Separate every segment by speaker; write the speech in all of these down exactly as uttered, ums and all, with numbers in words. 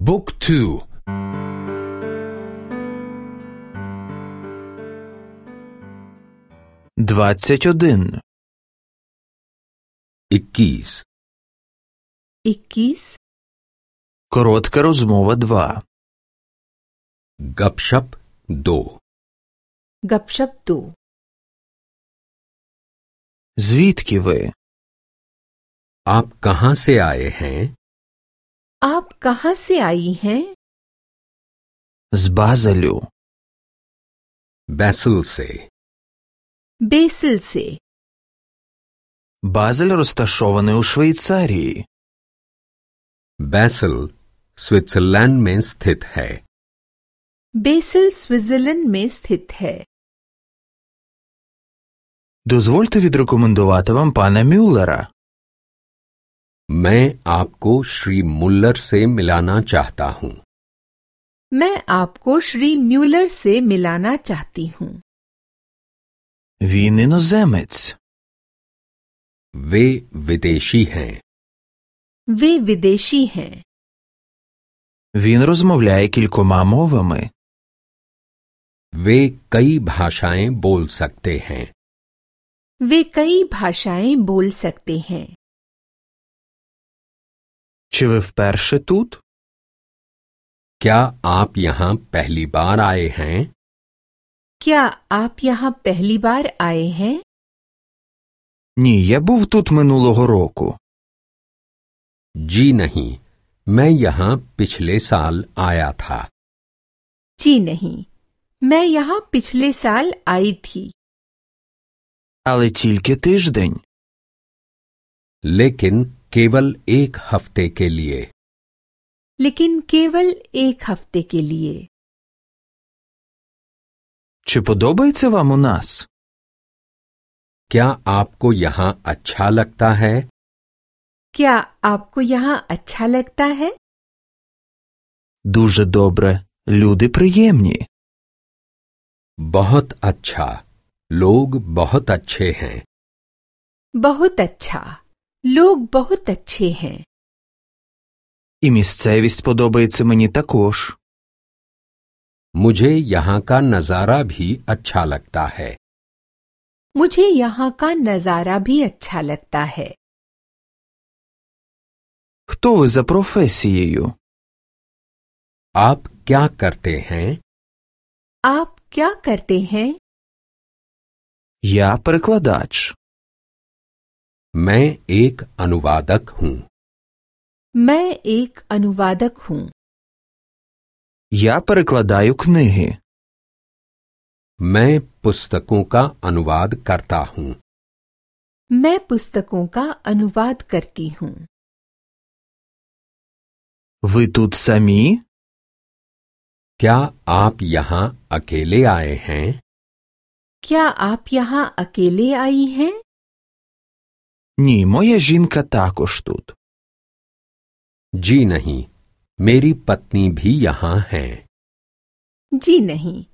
Speaker 1: Book two.
Speaker 2: Двадцять один.
Speaker 1: Иккіс.
Speaker 3: इक्कीस,
Speaker 2: Коротка розмова два.
Speaker 1: गपशप दो.
Speaker 3: गपशप दो।
Speaker 2: Звідки ви?
Speaker 1: आप कहाँ से आए हैं?
Speaker 3: आप कहाँ से आई हैं?
Speaker 2: З Базелю.
Speaker 1: बैसल से.
Speaker 3: बेसिल से।
Speaker 2: Базель розташований у Швейцарії.
Speaker 1: बैसल स्विट्जरलैंड में स्थित है.
Speaker 3: बेसिल स्विट्जरलैंड में स्थित है।
Speaker 2: Дозвольте відрекомендувати вам пана Мюллера.
Speaker 1: मैं आपको श्री मुल्लर से मिलाना चाहता हूँ.
Speaker 3: मैं आपको श्री म्यूलर से मिलाना चाहती हूँ।
Speaker 2: Він іноземець.
Speaker 1: वे विदेशी हैं.
Speaker 3: वे विदेशी हैं।
Speaker 2: Він розмовляє кількома мовами.
Speaker 1: वे कई भाषाएं बोल सकते हैं.
Speaker 3: वे कई भाषाएं बोल सकते हैं।
Speaker 2: Чи ви вперше тут?
Speaker 1: क्या आप यहाँ पहली बार आए हैं?
Speaker 3: क्या आप यहाँ पहली बार आए हैं?
Speaker 2: Ні, я був тут минулого року.
Speaker 1: जी नहीं, मैं यहाँ पिछले साल आया था.
Speaker 3: जी नहीं, मैं यहाँ पिछले साल आई थी।
Speaker 2: Але тільки тиждень.
Speaker 1: लेकिन केवल एक हफ्ते के लिए.
Speaker 3: लेकिन केवल एक हफ्ते के लिए।
Speaker 2: Чи подобається вам у нас?
Speaker 1: क्या आपको यहाँ अच्छा लगता है?
Speaker 3: क्या आपको यहाँ अच्छा लगता है?
Speaker 2: Дуже добре. Люди приємні.
Speaker 1: बहुत अच्छा. लोग बहुत अच्छे हैं.
Speaker 3: बहुत अच्छा। लोग बहुत अच्छे हैं।
Speaker 2: І місцевість подобається мені також.
Speaker 1: मुझे यहाँ का नज़ारा भी अच्छा लगता है.
Speaker 3: मुझे यहाँ का नजारा भी अच्छा लगता है।
Speaker 2: Хто ви за професією?
Speaker 1: आप क्या करते हैं?
Speaker 3: आप क्या करते हैं?
Speaker 2: Я перекладач.
Speaker 1: मैं एक अनुवादक हूँ.
Speaker 3: मैं एक अनुवादक हूँ।
Speaker 2: Я перекладаю книги.
Speaker 1: मैं पुस्तकों का अनुवाद करता हूँ.
Speaker 3: मैं पुस्तकों का अनुवाद करती हूँ।
Speaker 2: Ви тут самі?
Speaker 1: क्या आप यहाँ अकेले आए हैं?
Speaker 3: क्या आप यहाँ अकेले आई हैं?
Speaker 2: Ні, моя жінка також тут.
Speaker 1: जी नहीं, मेरी पत्नी भी यहाँ है.
Speaker 3: जी नहीं,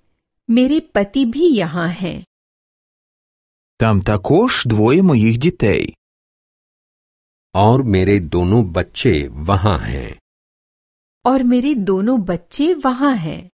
Speaker 3: मेरे पति भी यहाँ हैं।
Speaker 2: Там також двоє моїх дітей.
Speaker 1: और मेरे दोनों बच्चे वहाँ हैं.
Speaker 3: और मेरे दोनों बच्चे वहाँ हैं।